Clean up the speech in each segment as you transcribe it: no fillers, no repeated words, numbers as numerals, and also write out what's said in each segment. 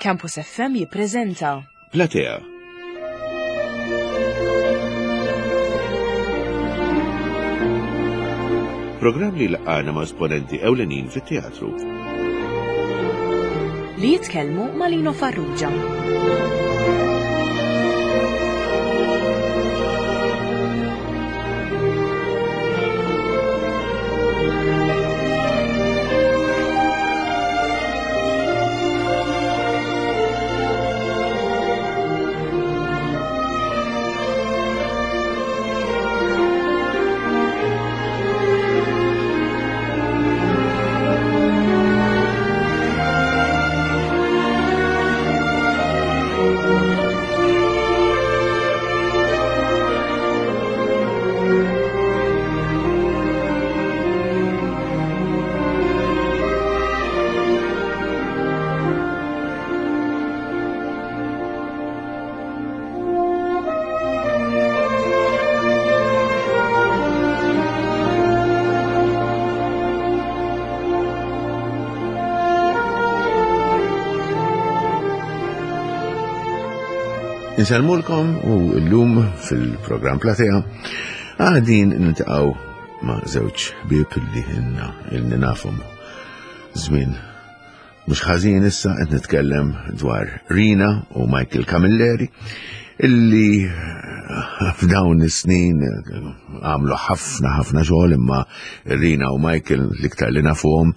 Campus FM jippreżenta Platea. Programm li laqgħana ma' esponenti ewlenin fit-teatru. Li jitkellmu ma' Lino Farrugia. Insellmulkom u llum fil-programm Platea għadin niltaqgħu ma' żewġ ħbieb li ħinna ilni nafhom żmien mhux ħażin issa qed nitkellem dwar Rina u Michael Camilleri illi f'dawn is-snin għamlu ħafna ħafna xogħol imma Rina u Michael l-iktar li nafuhom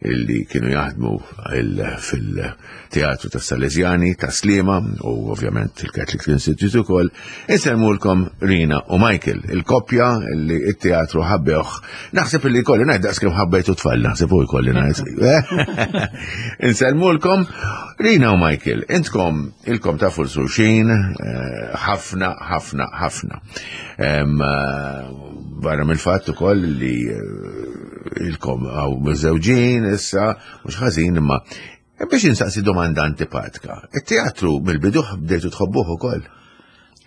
illi kienu jaħdmu fil-teatru ta' Salesiani ta' Slima u ovvjament il-Catholic Institute ukoll, insemmulkom Rina u Michael, il-koppja illi it-teatru ħabbewh. Naħseb illi kolli ngħid daqs kemm ħabbejtu tfal, naħseb u jkolli ngħid. Insellmulkom Rina u Michael, intkom ilkom tafu l-xulxin eh, ħafna ħafna ħafna. Eh, barra mill-fatt ukoll li eh, ilkom għaw miżewġin issa, mhux ħażin imma biex insaqsi domanda antipatika. It-teatru mill-bidu bdejtu tħobbuh ukoll.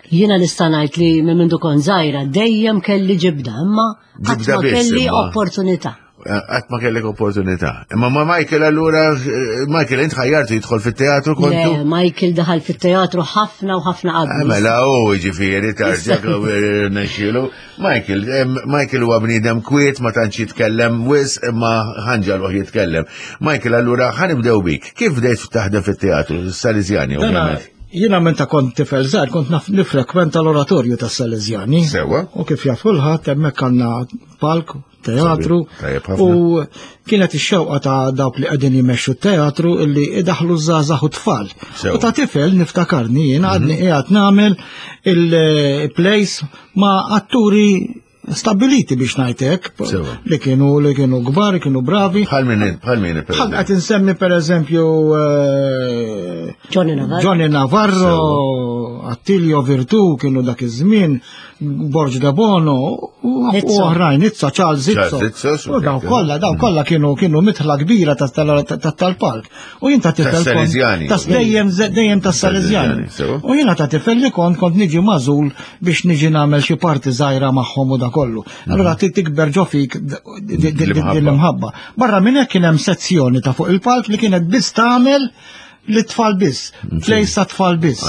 Jiena nista' ngħid li minn mindu kont żgħira dejjem kelli ġibda, imma qatt ma kelli opportunità. Qatt ma kellek opportunità. Imma ma Michael allura, eh, Michael int ħajjartu jidħol fit-teatru kontu? Le, Michael daħal fit-teatru ħafna u ħafna qabel. Eh, mela u ġifieri tarġa' nexxielu. Michael, Michael huwa bniedem kwiet ma tantx jitkellem wis imma ħanġaluh jitkellem. Michael, allura ħanibdew bik. Kif bdejt taħdem fit-teatru, Salesiani ovvjament? Jiena meta kont tifel żgħar kont naf nifrekwenta l-oratorju tas-Salesiani. Sewa. U kif jaf kulħadd hemmhekk għandna palk teatru. U kienet ix-xewqa ta' dawk li qegħdin jmexxu t-teatru illi idaħlu żgħażagħ u tfal. U ta' tifel niftakarni jien għadni mhm. qiegħed nagħmel il-plays ma' atturi stabiliti biex ngħidlek li kienu li kienu kbar, kienu bravi. Bħal min bħal min Bħal qed insemmi pereżempju eh, Johnny Navarro. Johnny Navarro, Attilio Virtu kienu dak iż-żmien. Borg de Bono u oħrajn, Izza, Charles Izzo. U daw kollha, daw mm. kollha kienu kienu mitħla kbira tal-palk. U jien ta' tifel. Ta' dejjem dejjem ta' Salesiani. U jiena ta' tifel li kont kont niġi mażul biex niġi nagħmel xi parti żgħira magħhom u da kollu. Mm. Allura tikber ġo fik l-imħabba. Barra minn hekk kien hemm sezzjoni ta' fuq il-palk li kienet biss tagħmel li tfal biss, plejs ta' tfal biss.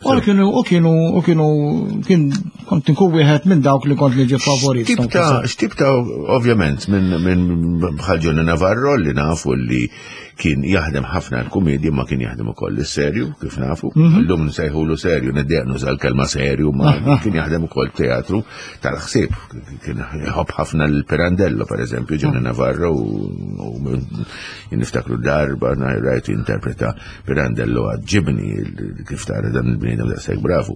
U kienu, u kienu, u kienu, kien kont nkun wieħed minn dawk li kont niġi favorit. X'tib ta' ovvjament minn bħal Johnny Navarro li nafu li kien jaħdem ħafna l-kumedja ma kien jaħdem ukoll is-serju kif nafu. Mhm. Illum nsejħulu serju, niddejaq nuża l-kelma serju ma ah, ah. kien jaħdem ukoll teatru tal-ħsieb. Kien jħobb ħafna l-Pirandello pereżempju Johnny ah. Navarro u Niftakru darba rajtu interpreta Pirandello għadġibni kif tara dan il-bniedem daqshekk bravu.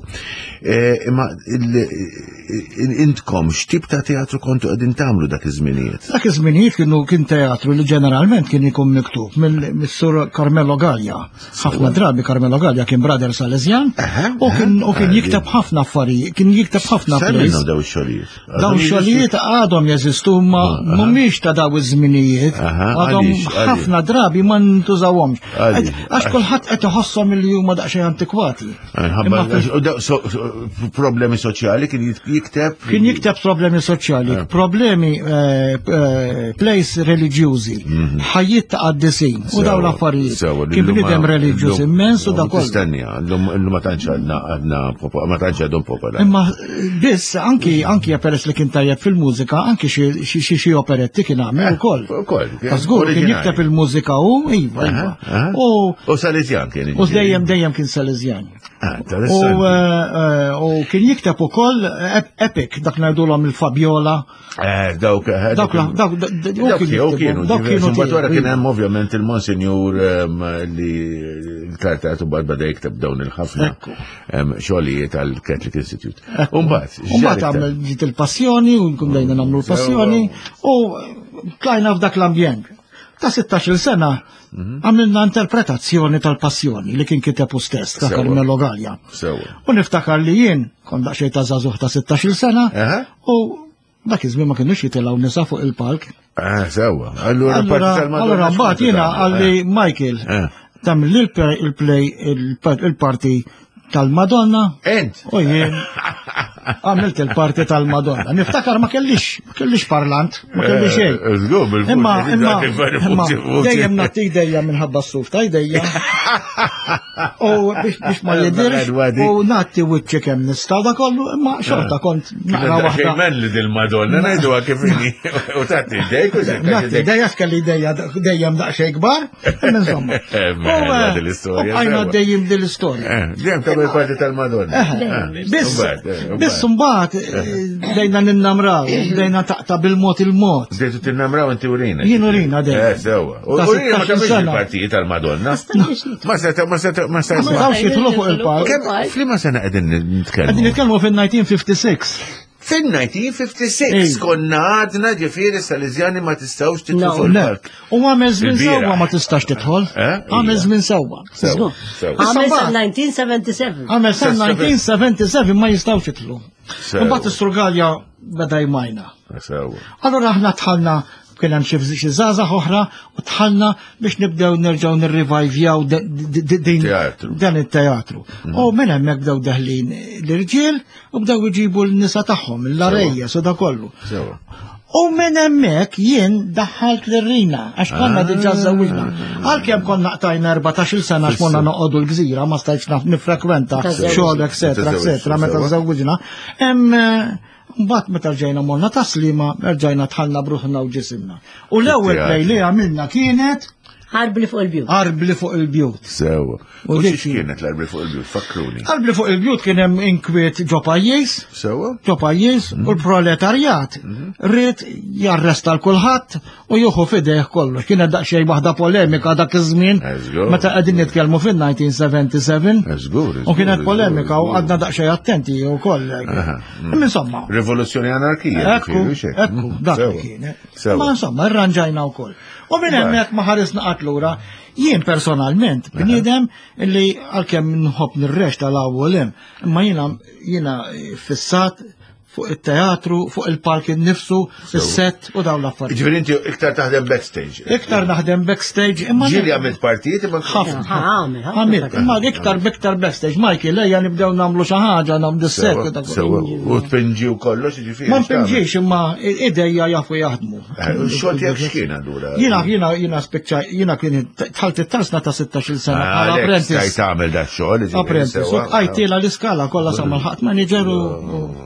E, imma intkom x'tip ta' teatru kontu qegħdin tagħmlu dak iż-żminijiet? Dak iż-żminijiet kienu kien teatru li ġeneralment kien ikun miktub mill-Sur Carmelo Gallia. Ħafna drabi Carmelo Gallia kien brother Salesian u kien jikteb ħafna affarijiet, kien jikteb ħafna plays. Daw ix-xogħlijiet. Dawn xogħlijiet għadhom jeżistu ma mhumiex ta' daw iż-żminijiet. Għadhom ħafna drabi ma ntużawhomx. Għax Kulħadd qed iħosshom li huma daqsxejn antikwati. Problemi soċjali kien jikteb. Kien jikteb problemi soċjali, eh. problemi eh, eh, plays reliġjużi, mhm. ħajjiet ta' qaddisin u dawn l-affarijiet. Kien bniedem reliġjuż immens u dak kollu. Tistennija, llum ma tantx għadna għadna ma tantx għadhom popolari. Imma biss anki anki peress li kien tajjeb fil-mużika, anki xi operetti kien għamel ukoll. Ukoll. Żgur kien jikteb il-mużika u iva, iva. U Salesjan kien. U dejjem dejjem kien Salesjan. Ah, u eh, eh, u kien jikteb ukoll epic dak ngħidulhom il-Fabiola. Eh, dawk dawk dawk dawk kienu dawk kienu. Mbagħad wara kien hemm ovvjament il-Monsinjur ehm, li l-kartat u bad bada jikteb dawn il-ħafna ehm, xogħlijiet għall-Catholic Institute. U mbagħad. U mbagħad għamel ġiet il-passjoni u nkun bdejna nagħmlu l-passjoni u tlajna f'dak l-ambjent. Ta' 16 sena mhm. għamilna interpretazzjoni tal-passjoni li kien kiteb u stess ta' Carmelo Gallia. U niftakar li jien kont daqsxejn ta' żagħżugħ ta' 16 sena u dak iż-żmien ma kienux jitilgħu nisa fuq il-palk. Ah, sewwa. Allura parti tal-Madonna. Allura mbagħad jiena għalli eh. Michael eh. tagħmel il-play il-parti tal-Madonna. Ent. U jien għamilt il-parti tal-Madonna. Niftakar ma kellix, ma kellix parlant, ma kellix xejn. Eh, żgur, Imma, imma, imma, dejjem nagħti dejjem minħabba s-suf ta' idejja. U biex ma jidirx, u nagħti wiċċi kemm nista' da kollu, imma xorta kont naqra waħda. Xejn li dil-Madonna ngħidu kif inhi u tagħti idejk u Nagħti idejja kelli idejja dejjem daqsxejn kbar. Insomma. Eh, mela, din l-istorja. Għajna dejjem din l-istorja. Eh, dejjem ta' parti tal-Madonna. Eh, biss, biss mbagħad dejna ninnamraw, dejna taqta' bil-mod il-mod. Dejtu tinnamraw inti urina. Jien urina dejjem. Eh, sewwa. Urina ma tagħmilx il-partijiet tal-Madonna. Ma seta' ma seta' ma seta' Ma setgħux jidħlu fuq il-palk. F'liema sena qegħdin nitkellmu? Qegħdin nitkellmu fin-1956. Fin-1956 konna għadna ġifieri Salesiani ma tistgħux tidħlu fuq il-palk. U għamel żmien sewwa ma tistax tidħol. Eh? Għamel żmien sewwa. Għamel sa 1977. Għamel sa 1977 ma jistgħux jidħlu. Imbagħad is-Surgalja beda jmajna. Allura aħna dħalna kien hemm xi xi żgħażagħ oħra u dħalna biex nibdew nerġgħu nirrivajvjaw dan it-teatru. Mm. U minn hemmhekk bdew deħlin l-irġiel u bdew iġibu l-nisa tagħhom, l-arejja, su da kollu. U minn hemmhekk jien daħħalt lir-Rina għax konna ah. diġà żewwiġna. Għalkemm konna qtajna 14-il sena għax konna noqogħdu l-gżira ma stajtx nifrekwenta xogħol eċetera eċetera meta żewwiġna. Hemm Mbagħad meta rġajna morna taslima, rġajna tħallna bruħna u ġisimna. U l-ewwel play li għamilna kienet Arbli fuq il-bjut. Arbli fuq il-bjut. Sewa. U dik kienet l-arbli fuq il-bjut, fakruni. Arbli fuq il-bjut kien hemm inkwiet ġo pajjiż. Sewa. Ġo pajjiż u mhm. l-proletarjat mhm. ried jarresta l kulħadd u juħu fideh kollox. Kienet daqsxejn waħda polemika dak iż-żmien meta qegħdin nitkellmu fin-1977. U kienet polemika u għadna daqsxejn attenti wkoll. Mm. Insomma. Rivoluzzjoni anarkija. Ekku, ekku, mm. dak li kienet. Ma insomma, irranġajna wkoll. U minn hemmhekk ma ħarisna qatt lura. Jien personalment bniedem li għalkemm nħobb nirrex tal-awwel hemm, imma jiena jiena fissat fuq it-teatru, fuq il-palk innifsu, is-set u dawn l-affarijiet. Ġifieri inti iktar taħdem backstage. Iktar naħdem backstage imma. Ġieli għamilt partijiet imma ħafna. Għamilt, imma iktar biktar backstage. Michael, ejja nibdew nagħmlu xi ħaġa, nagħmlu s-set. U tpinġi u kollox, ġifieri. Ma npinġix imma idejja jafu jaħdmu. Eh, xogħol tiegħek x'kien allura? Jiena jiena jiena spiċċa jiena kien tħalt it-tarsna ta' 16-il sena ah, bħala apprentice. Stajt tagħmel da xogħol. Apprentice, u bqajt l-iskala kollha sa mal-ħadd manager u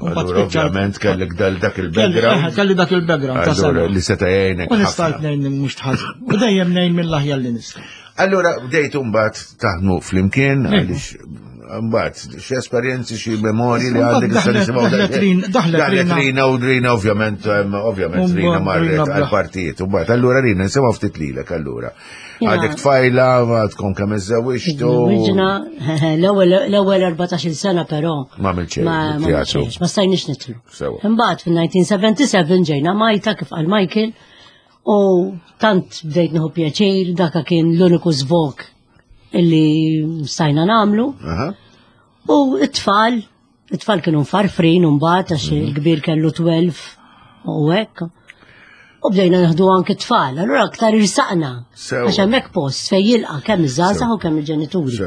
mbagħad spiċċa. Ovvjament kellek dal dak il-background. Eh, kelli dak il-background ta' sena. Li seta' jgħinek. U nista' ngħin mhux tħażin. U dejjem ngħin mill-aħjar li nista'. Allura bdejtu mbagħad taħdmu flimkien għaliex mbagħad xi esperjenzi xi memorji li għandek issa nisimgħu. Daħlet Rina u Rina ovvjament ovvjament Rina marret għall-partijiet u mbagħad allura Rina nisimgħu ftit lilek allura. Għadek tfajla, tkun kemm iżżewwiġtu. Żewwiġna l-ewwel 14-il sena però. Ma għamilx xejn. Ma stajniex nitlu. Imbagħad fin-1977 ġejna Majta kif qal Michael U tant bdejt nieħu pjaċir, daka kien l-uniku żvok illi stajna namlu. U it-tfal, it-tfal kienu mfarfrin mbagħad għax mhm. il-kbir kellu 12 u hekk. U bdejna naħdu anke tfal, allura aktar irsaqna. Għax hemmhekk post fejn jilqa' kemm iż-żgħażagħ u kemm il-ġenituri.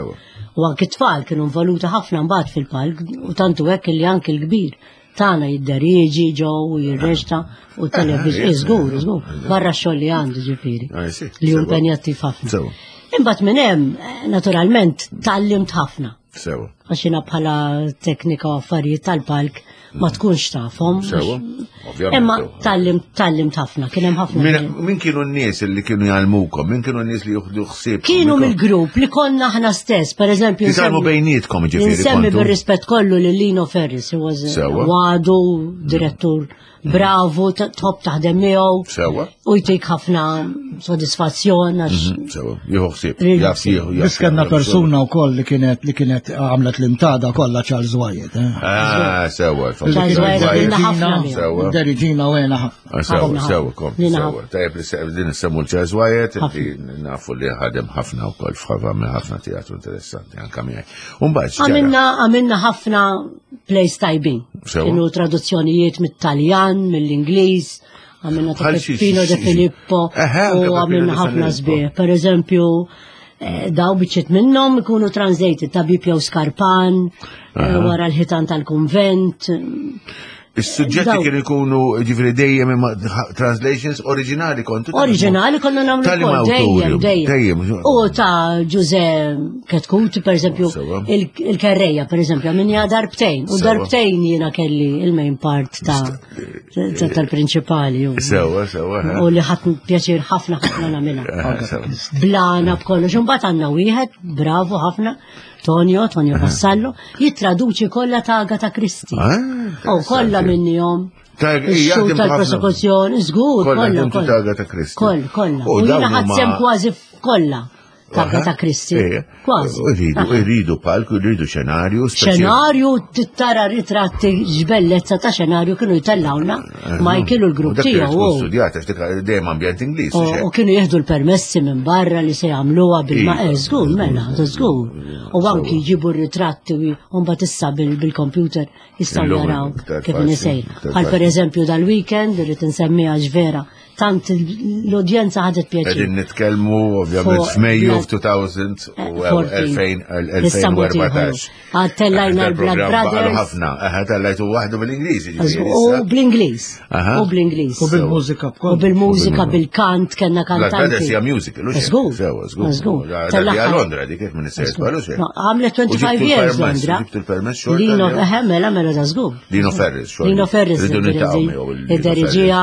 U anke tfal kienu involuti ħafna mbagħad fil-palk u tantu hekk li anke l-kbir tagħna jidderieġi ġew u jirreġta u television żgur, żgur, barra x-xogħol li għandu ġifieri. Li hu impenjattiv ħafna. Imbagħad minn hemm, naturalment, tgħallimt ħafna. Sewa. Għax jiena bħala teknika u affarijiet tal-palk ma tkunx tafhom. Sewa. Ovvjament. Imma tallim tallimt ħafna, kien hemm ħafna. Min kienu n-nies li kienu jgħallmukom, min kienu n-nies li juħdu ħsieb? Kienu mill-grupp li konna aħna stess, per eżempju. Titalmu bejnietkom ġifieri. Nsemmi bir-rispett kollu lil Lino Ferris, he was għadu direttur Bravo, tħobb taħdem miegħu. Sewa. U jtik ħafna sodisfazzjon għax. Mhm, sewa, jieħu ħsieb. Jaf jieħu. Biss kellna persuna wkoll li kienet li kienet għamlet l-imtada kollha Charles Wyatt. Eh. Ah, sewa. Charles Wyatt ħafna. Sewa. Deriġina u għena ħafna. Ah, sewa, sewa, kom. Sewa. Tajjeb li din semmu Charles Wyatt, nafu li ħadem ħafna wkoll f'ħafna ħafna teatru interessanti anka miegħi. Għamilna għamilna ħafna plays tajbin. Kienu traduzzjonijiet mit-Taljan, mill-Ingliż, għamilna ta' Peppino de Filippo u għamilna ħafna sbieħ. Per eżempju, eh, daw biċċiet minnhom ikunu translated ta' Bipjo Skarpan, eh, wara l-ħitan tal-konvent. Is-suġġetti kienu jkunu ġifieri dejjem imma translations oriġinali kontu. Oriġinali konna nagħmlu wkoll dejjem dejjem. U ta' Ġuże Ketkuti pereżempju il-kerreja pereżempju għamilniha darbtejn u darbtejn jiena kelli il-main part ta' tal-prinċipali. Sewa, sewa. U li ħadd pjaċir ħafna ħafna nagħmilha. Blana b'kollox, imbagħad għandna wieħed, bravo ħafna, Tonio, Tonio Vassallo, jittraduċi kollha ta' Agatha Christie. Ah, U kollha minnihom. Ix-xhud tal-prosekuzzjoni, żgur, kollha. Ta' Agatha Christie. Koll, kollha. U jiena ħadd kważi kollha ta' Agatha Christie. Kważi. Irridu, irridu palk, irridu xenarju. Xenarju, tittara ritratti ġbellezza ta' xenarju kienu jtellawna Michael u l-grupp tiegħu. Studjat, għax dik dejjem ambjent Ingliż. U kienu jieħdu l-permessi minn barra li se jagħmluha bil-ma eh, żgur, mela, żgur. U anki jġibu r-ritratti u mbagħad issa bil-computer jistgħu jaraw kif nisejr. Bħal pereżempju dal-weekend irrid insemmiha ġvera tant l-udjenza ħadet pjaċir. Qegħdin nitkellmu ovvjament f'Mejju f'2014. Tellajna l-Blood Brothers. Ħafna, tellajtu waħdu bil-Ingliż. U bl-Ingliż. U bl-Ingliż. U bil-mużika U bil-mużika, bil-kant, kellna kantanti. Blood Brothers hija musical. Żgur. Żgur. Tellajna Londra dik kif minn is-sejs Għamlet 25 years Londra. Lino, mela, mela da żgur. Lino Ferris, xogħol. Lino Ferris. Id-deriġija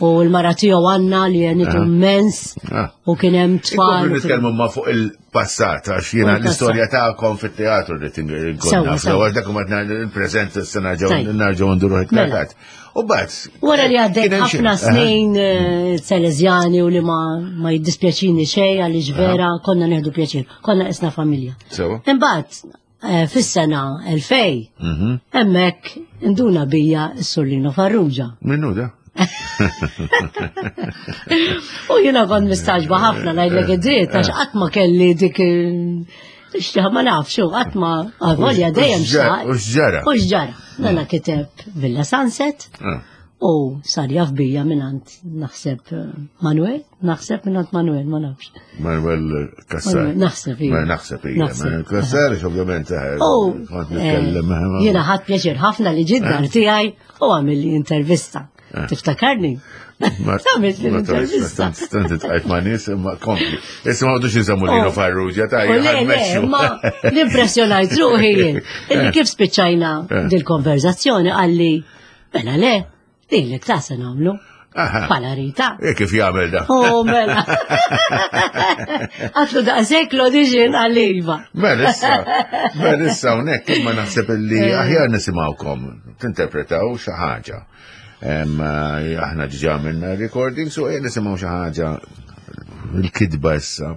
u l-mara tiegħu għanna li għenitu immens ah. u kien hemm tfal. Nitkellmu ma fuq il-passat għax jiena l-istorja tagħkom fit-teatru li tinkun naf. Għax dak ma il-preżent s nerġgħu nduru iktar mela. tard. U bat. Wara li għaddejt ħafna snin eh, Salesjani u li ma jiddispjaċini xejn għaliex vera konna neħdu pjaċir, konna isna familja. Imbagħad Eh, fis-sena 2000, mhm. hemmhekk induna bija s-Surlino Farrugia. Minnu da? U jiena kont mistaġba ħafna ngħidlek id-dritt għax qatt ma kelli dik Xtiħ ma nafx, qatt ma għavolja dejjem xtaq. U xġara. U xġara. Nana kiteb Villa Sunset. Ah. U sar jaf bija minant naħseb eh, Manuel, naħseb minant Manuel, ma nafx. Manuel Kassar. Naħseb ija. Naħseb ija. Manuel Kassar, ovvjament, eh, kont nitkellem. Eh, jiena ħadd pjaċir ħafna li ġiddar tiegħi u għamilli intervista. Tiftakarni? Għamilt l-intervista. Tant tqajt ma' nies imma kompli. Issa ma għodux nsemmu Lino oh. Farrugia ta' Ma l-impressjonajt ruħi jien. Illi kif spiċċajna dil-konverzazzjoni għalli Mela le, lilek ta' se nagħmlu. Pala Rita. E kif jagħmel da? Oh, mela. Għatlu daqshekk l-audition għal iva. Mela issa, mela issa hawnhekk imma naħseb illi eh. aħjar nisimgħukom tinterpretaw xi ħaġa. Eh, aħna ġiġa minna recording, so eh, nisimgħu xi ħaġa il-kidba issa.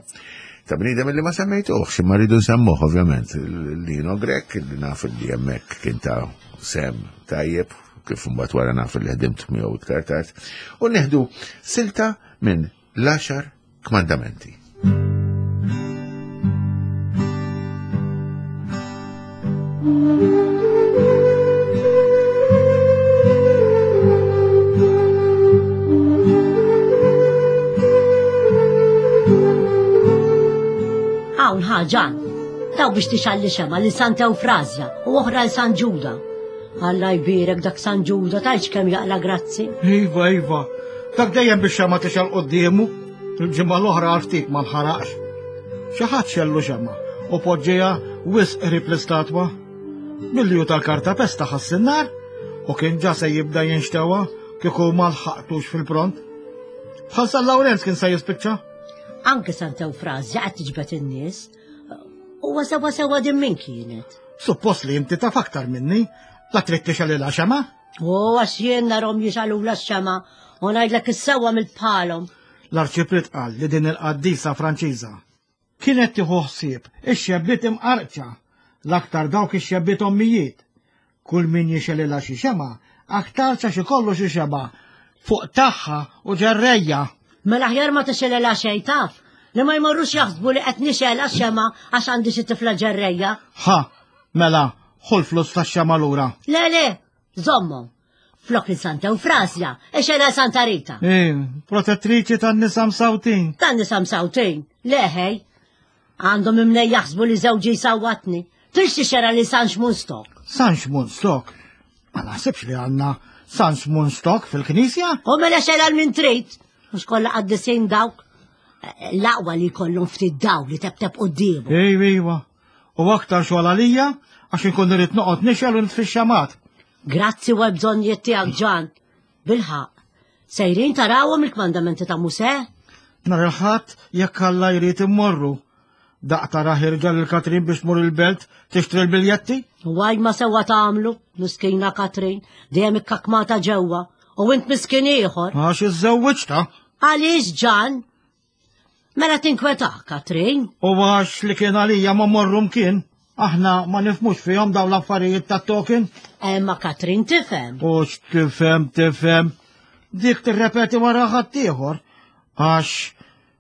Ta' bniedem li ma semmejtuħx, imma rridu nsemmuh ovvjament. Lino Grek, li naf li hemmhekk kien ta' sem tajjeb, kif mbagħad wara naf li ħdimt miegħu iktar tard, u neħdu silta minn l-għaxar kmandamenti. Ħa Ġan, daw biex tixgħalli xemgħa lil Santa Ewfrażja u oħra 'l San Ġuda. Alla jbierek dak San Ġuda tgħidx kemm jaqla' grazzi. Iva, iva, dak dejjem biex xemgħa tixgħal quddiemu. Il-ġimgħa l-oħra għal ftit ma nħaraqx. Xi ħadd xellu xemgħa u poġġiha wisq qrib l-istatwa. Milli hu tal-karta pesta ħass in-nar u kien ġa se jibda jinxtewa kieku ma lħaqtux fil-pront. Bħal San Lawrenz kien se jispiċċa. Anke Santa Eufrazja qed tiġbed in-nies. Huwa sewa sewa din min kienet. Suppost li inti taf aktar minni, la trid tixgħalilha xema? U għax jien narhom jixgħalula x-xema u ngħidlek is-sewwa mill-bħalhom. L-Arċipriet qal li din il-qaddisa Franċiża kienet tieħu ħsieb ix-xebbiet imqarqċa, l-aktar dawk ix-xebbiet ommijiet. Kull min jixgħelilha xi xemgħa, aktarx għax ikollu xi xebgħa fuq tagħha u ġerrejja. Mela aħjar ma tixgħelilha xejn taf, li ma jmorrux jaħsbu li qed nixgħelha x-xemgħa għax għandi xi tifla ġerrejja. Ħa, mela, ħu l-flus tax-xemgħa lura. Le, le, żommhom. Flok lil Santa Eufrasja, ixgħelha Santa Rita. Eh, protettriċi tan-nisa msawtin. Tan-nisa msawtin, le ħej. Għandhom imnej jaħsbu li żewġi jsawwatni. Tridx tixxera li San Xmun Stok. San Xmun Stok? Ma naħsibx li għandna San Xmun Stok fil-knisja. U mela xera l-min trid. Mhux kollha qaddisin dawk. L-aqwa li jkollhom ftit daw li tebteb quddiemu. Ejwa, ejwa. U aktar xogħol għalija għax inkun irrid noqgħod nixgħel u nitfi x-xamat. Grazzi u għal-bżonnijiet tiegħek Ġan. Bilħaq. Sejrin tarawhom il-kmandamenti ta' Musè? Nhar il-Ħadd jekk Alla jrid immorru. Daqq tara ħirġa lil Katrin biex tmur il-belt tixtri l-biljetti? Waj ma sewwa tagħmlu, miskina Katrin, dejjem ikkakmata ġewwa, u int miskin ieħor. Għax iżżewwiġtha. Għaliex Ġan? Mela tinkwetah, Katrin. U għax li kien għalija ma morru mkien. Aħna ma nifmux fihom dawn l-affarijiet ta' token. Emma Katrin tifhem. U x'tifhem tifhem. Dik tirrepeti wara ħaddieħor. Għax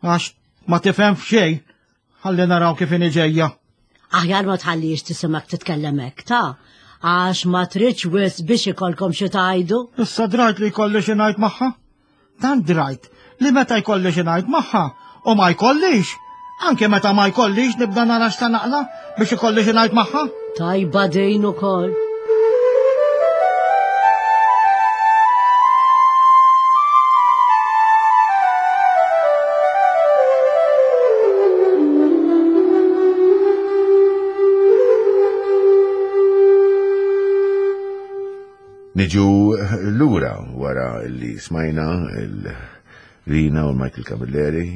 għax ma tifhem f'xejn. Ħalli naraw kif inhi ġejja. Aħjar ma tħallix tisimak titkellem hekk ta' għax ma tridx wisq biex ikollkom xi tgħidu. Issa drajt li jkolli xi ngħid magħha. Tant drajt li meta jkolli xi ngħid magħha u ma jkollix, anke meta ma jkollix nibda nara x'ta naqla biex ikolli xi ngħid magħha. Tajba din ukoll. Niġu lura wara li smajna il-Rina u Michael Camilleri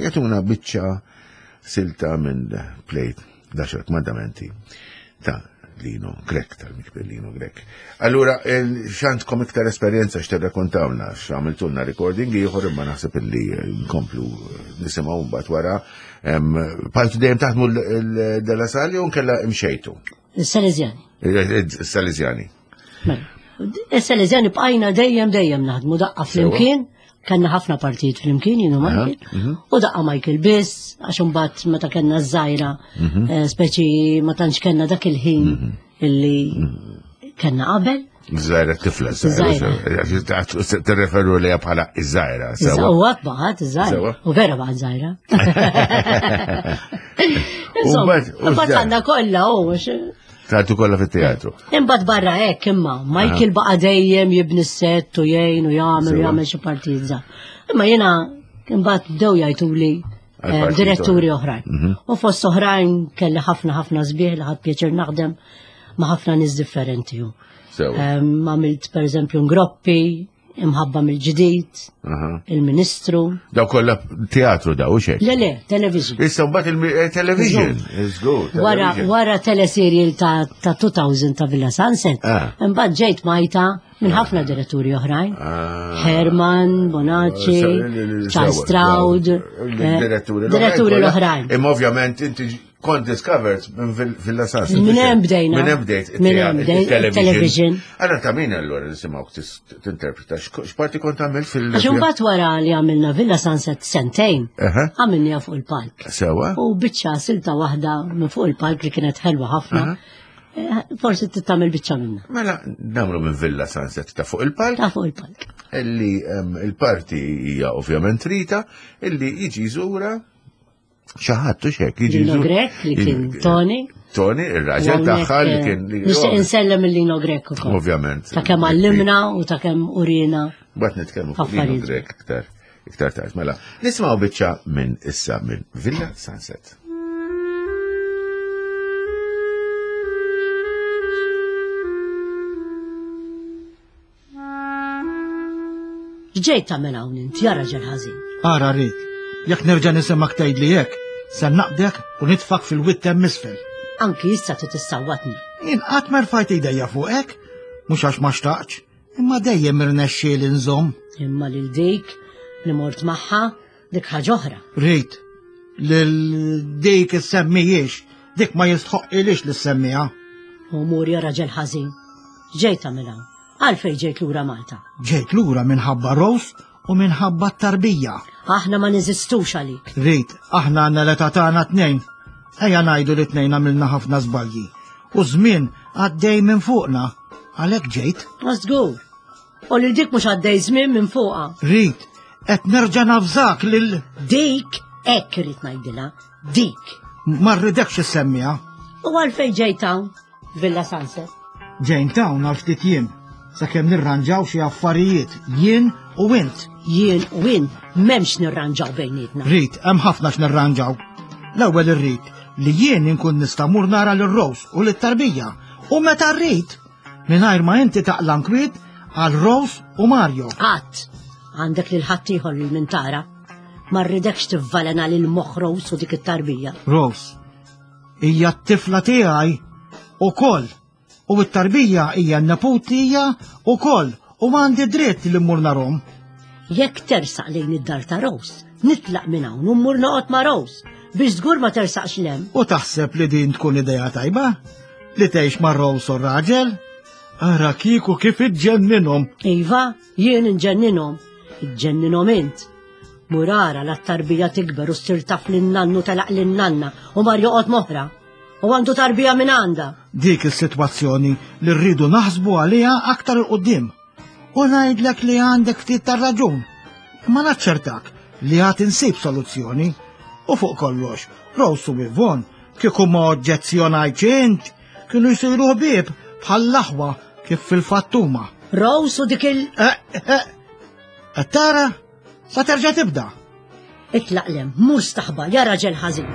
jatuna biċċa silta minn plejt daxar kmandamenti ta' Lino Grek, tal-mikber Lino Grek. Allura, xantkom iktar esperjenza x'tirrakontawna, x'għamiltulna recording ieħor imma naħseb illi nkomplu nisimgħu mbagħad wara. Bħaltu dejjem taħdmu l-Della Sal jew nkella imxejtu? Il-Salesjani. Il-Salesjani. Mela, il-Salesjani bqajna dejjem dejjem naħdmu daqqa flimkien, kellna ħafna partijiet flimkien jienu Michael, mhm. u daqqa Michael biss, għax imbagħad meta kellna żgħira, mhm. eh, speċi ma tantx kellna dak il-ħin mhm. illi kellna qabel. Zaħira tifla, zaħira. T-referu li bħala iż-zaħira. U għat baħat, iż-zaħira. U vera baħat zaħira. Insomma, bat għanna kolla, u. Tagħtu kolla fit-teatru. Imbagħad barra hekk imma, Michael baqa' dejjem jibni s-sett u jgħin u jagħmel u jagħmel xi partijiet żgħar. Imma jiena imbagħad bdew jgħiduli eh, diretturi oħrajn. Mhm. U fost oħrajn kelli ħafna ħafna sbieħ li ħadd pjaċir naħdem ma' ħafna nies differenti. Għamilt per eżempju ngroppi, imħabba mill-ġdid, il-ministru. Daw kollha teatru daw xejn. Le le, television. Issa mbagħad il-television. Eh, wara wara teleserial ta' 2000 ta' Villa Sunset, ah. imbagħad ġejt majta minn ħafna diretturi oħrajn. Ah. Herman, Bonacci, Charles Stroud. Eh, diretturi l-oħrajn. Imma ovvjament inti Kont discovered minn Villa Sansa. Minn hemm bdejna. Minn hemm bdejt. Minn hemm bdejt. Television. Allora ta' min allura nisimgħu tinterpreta x'parti kont għamilt fil- Għax imbagħad wara li għamilna Villa Sunset sentejn, għamilniha fuq il-palk. Sewa. U biċċa silta waħda minn fuq il-palk li kienet ħelwa ħafna. Eh, forsi tittamil biċċa minna. Mela, namlu minn Villa Sunset ta' fuq il-palk. Ta' fuq il-palk. Illi il-parti hija ovvjament Rita, illi jiġi żura. Xi ħadd u xek jiġi. Lino Grek li kien Tony. Tony, ir-raġel tagħha li kien. Nixtieq insellem il-Lino Grek ukoll. Ovvjament. Ta' kemm għallimna u ta' kemm urina. Bat nitkellmu fuq Lino Grek iktar iktar tard. Mela, nisimgħu biċċa minn issa minn Villa Sunset. X'ġejt tagħmel hawn int, ja raġel ħażin? Ara rrid, jekk nerġa' nisimgħek tgħidli hekk, se naqdek u nitfak fil-wied hemm isfel. Anki issa trid issawwatni. Jien qatt ma rfajt idejja fuqek, mhux għax ma xtaqtx, imma dejjem irnexxieli nżomm. Imma lil dik li mort magħha dik ħaġa oħra. Rrid, lil dik issemmijiex, dik ma jistħoqqilix li ssemmiha. U mur ja raġel ħażin. Ġejt tagħmel hawn. Għalfejn ġejt lura Malta? Ġejt lura minħabba Rose u minħabba t-tarbija. Aħna ma neżistux għalik. Rit, aħna għandna l-età tagħna tnejn. Ejja ngħidu li tnejn għamilna ħafna żbalji. U żmien għaddej minn fuqna. Għalhekk ġejt. Ma żgur. U lil dik mhux għaddej żmien minn fuqha. Rit, qed nerġa' nafżak lil Dik hekk irid ngħidilha, dik. Ma rridekx issemmiha. U għalfejn ġejt hawn? Villa Sunset. Ġejn hawn għal ftit jiem, sakemm nirranġaw xi affarijiet, jien u int. Jien u int m'hemmx nirranġaw bejnietna. Rit, hemm ħafna x'nirranġaw. L-ewwel irrid li jien inkun nista' mur nara lil Rose u lit-tarbija u meta rrid mingħajr ma inti taqla nkwiet għal Rose u Mario. Qatt għandek lil ħaddieħor lil min tara. Ma rridekx tivvalena lil moħħ Rose u dik it-tarbija. Rose, Hija t-tifla tiegħi ukoll u t-tarbija hija n-neputija ukoll u għandi dritt li mmur narhom. Jekk tersaq lejn id-dar ta' Rose, nitlaq minn hawn u mmur noqgħod ma' Rose biex żgur ma tersaqx lem. U taħseb li din tkun idea tajba? Li tgħix ma' Rose u raġel? Ara kieku kif iġġenninhom. Iva, jien inġenninhom. Iġġenninhom int. Mur ara la t-tarbija tikber u ssir taf lin-nannu telaq lin-nanna u mar joqgħod m'oħra. U għandu tarbija minn għandha. Dik is-sitwazzjoni li rridu naħsbu għaliha aktar 'il quddiem. U ngħidlek li għandek ftit tar-raġun. Imma naċċertak li għad insib soluzzjoni. U fuq kollox, Rose u Yvonne, kieku ma oġġezzjonajtx int, kienu jsiru ħbieb bħall-aħwa kif fil-fatt huma. Rose u dik il- Eh, eh, qed tara? Sa terġa' tibda. Itlaq lem, mur staħba, ja raġel ħażin.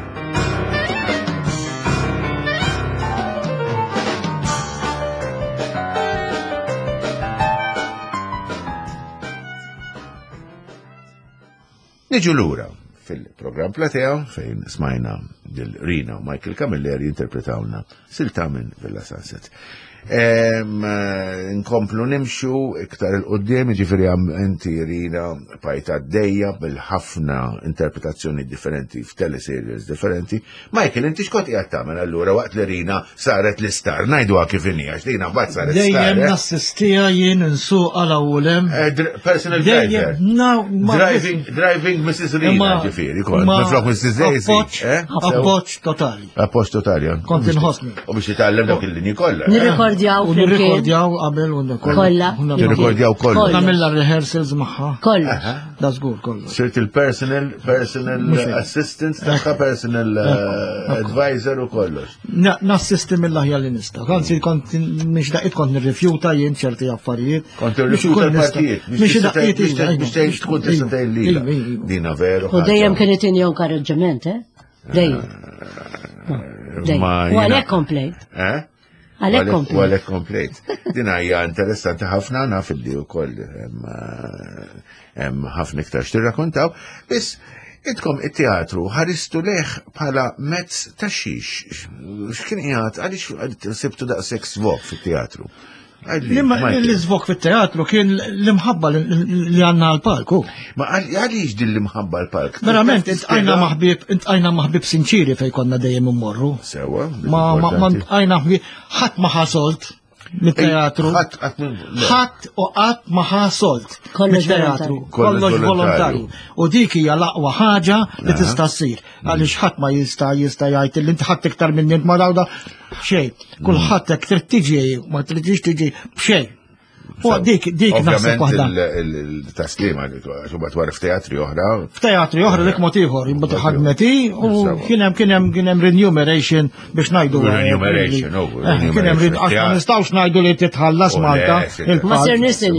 Niġu lura fil-programm Platea fejn smajna lil Rina u Michael Camilleri jinterpretawna silta minn Villa Sunset. Eh, nkomplu nimxu iktar il-qoddim, ġifiri għam inti Rina pajta d-dejja bil-ħafna interpretazzjoni differenti f'teleseries differenti. Michael, inti xkont qiegħed tagħmel allura waqt li Rina saret l-istar, ngħiduha kif inhi għax Rina mbagħad saret star. Dejjem eh? nassistija jien insuq għal awlem. Eh, personal driver. Driving, driving Mrs. Rina ġifieri, kont minflok Mrs. Daisy. Appoġġ totali. Appoġġ totali. Eh? Kont inħossni. U biex jitgħallem dawk il-linji kollha. Eh? Nirrekordjaw. U nirrekordjaw qabel u kollha. Nirrekordjaw kollha. Nagħmilha rehearsals magħha. Kollha. Da żgur kollha. Sirt il-personal personal assistant tagħha personal eh, advisor u kollox. Nassisti mill-aħjar li nista'. Anzi kont mhix daqqiet kont nirrifjuta jien ċerti affarijiet. Kont irrifjuta l-partijiet. Mhix daqqiet biex tgħid tkun tista' tgħid lilha. Dina veru. U dejjem kien itini inkoraġġiment, eh? Dejjem. Dejjem. U għalhekk komplejt. Eh? Għalhekk komplejt. U għalhekk komplejt. Din hija interessanti ħafna naf li wkoll hemm ħafna iktar x'tirrakkontaw. Biss intkom it-teatru ħaristu leħ bħala mezz ta' xiex. X'kien qiegħed għaliex sibtu daqshekk svok fit-teatru? L-iżvok fit-teatru kien l-imħabba li għanna għal-palku. Ma għaliex din l-imħabba għal-palk? Verament, intqajna maħbib, intqajna maħbib sinċiri fej konna dejjem immorru. Sewa. Ma ntqajna ħbib, ħadd ma ħasolt mit-teatru. Ħadd u qatt ma ħasolt mit-teatru. Kollox volontarju. U dik hija l-aqwa ħaġa li tista' ssir. Għaliex ħadd ma jista' jista' jgħid li inti ħadd iktar minni ma dawda xejn. Kulħadd hekk trid tiġi ma tridx tiġi b'xejn. U dik dik naħseb waħda. Il-taslima għax imbagħad wara f'teatri oħra. F'teatri oħra dik mod ieħor, imbagħad ħadmeti u kien hemm kien hemm kien hemm remuneration biex ngħidu. Remuneration, oh, eh, kien hemm għax ma nistgħux ngħidu li titħallas oh, Malta. Ma ser nisin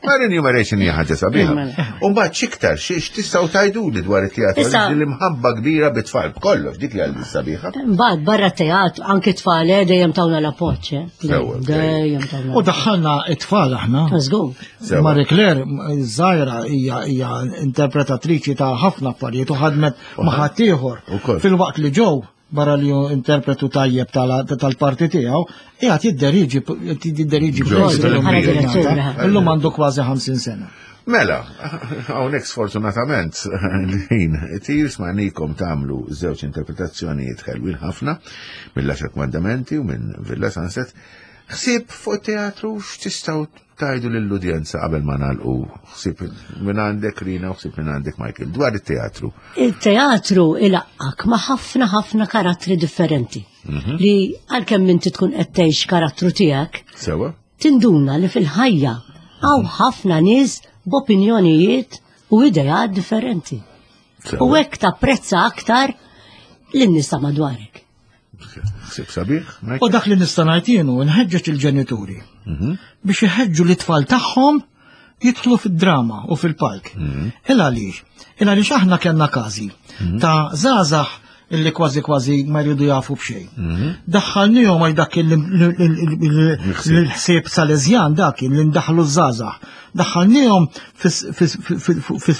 Ma remuneration hija ħaġa sabiħa. Mela. U mbagħad x'iktar x'tistgħu tgħiduli dwar it-teatru l-imħabba kbira bit-tfal b'kollox dik li għal sabiħa. Mbagħad barra teatru anki tfal eh, dejjem tawna l-appoġġ. Eh. Dejjem tawna. U daħħalna it-tfal aħna. Żgur. Marie Claire żgħira hija hija interpretatriċi ta' ħafna affarijiet u ħadmet ma' ħaddieħor. Filwaqt li ġew barra li hu interpretu tajjeb tal-parti tiegħu, qiegħed jidderiġi jidderiġi Illum għandu kważi 50 sena. Mela, hawnhekk sfortunatament l-ħin tir smajnikom tagħmlu żewġ interpretazzjonijiet ħelwin ħafna mill-Għaxar Kmandamenti u minn Villa Sunset. Ħsieb fuq teatru x'tistgħu tgħidu lill-udjenza qabel ma nagħlqu ħsieb minn għandek Rina u ħsieb minn għandek Michael dwar it-teatru. Il-teatru ilaqqak ma' ħafna ħafna karattri differenti. Mhm. Li għalkemm inti tkun qed tgħix karattru tiegħek. Sewa. Tinduna li fil-ħajja hawn ħafna nies b'opinjonijiet u ideat differenti. U hekk tapprezza aktar lin-nies ta' madwarek. Ħsieb sabiħ. U dak li nista' ngħid jien hu nħeġġeġ il-ġenituri mhm. biex iħeġġu l-itfal tagħhom jidħlu fid-drama u fil-palk. Mhm. Il għaliex? Il għaliex aħna kellna każi mhm. ta' żgħażagħ illi kważi kważi ma jridu jafu b'xejn. Mhm. Daħħalnihom għal dak il-ħsieb salezjan dak li ndaħlu żgħażagħ. Daħħalnihom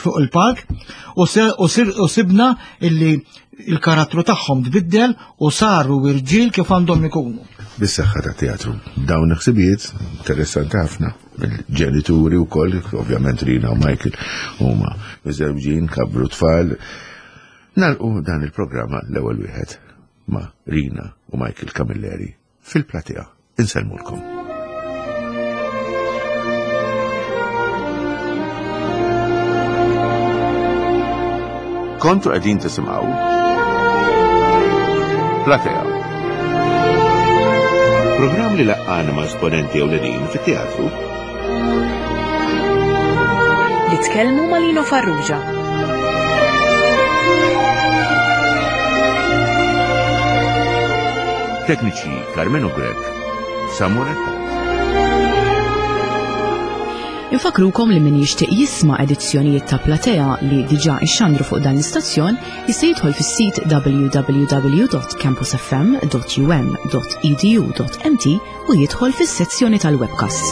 fuq il-palk u sibna illi il-karattru tagħhom tbiddel u saru irġiel kif għandhom ikunu. Bis-saħħa ta' teatru. Dawn il-ħsibijiet interessanti ħafna. Il-ġenituri wkoll, ovvjament Rina u Michael huma miżewġin, kabru tfal. Nalqu dan il-programma l-ewwel wieħed ma' Rina u Michael Camilleri fil-platea. Insellmulkom. Kontu qegħdin tisimgħu Platea. Programm li laqqana ma' esponenti ewlenin fit-teatru. Li tkellmu ma' Lino Farrugia. Tekniċi Carmenu Grech, Samuel Attard. Infakrukom li min jixtieq jisma' edizzjonijiet ta' Platea li diġà ixxandru fuq dan l-istazzjon jista' jidħol fis-sit www.campusfm.um.edu.mt u jidħol fis-sezzjoni tal-webcasts.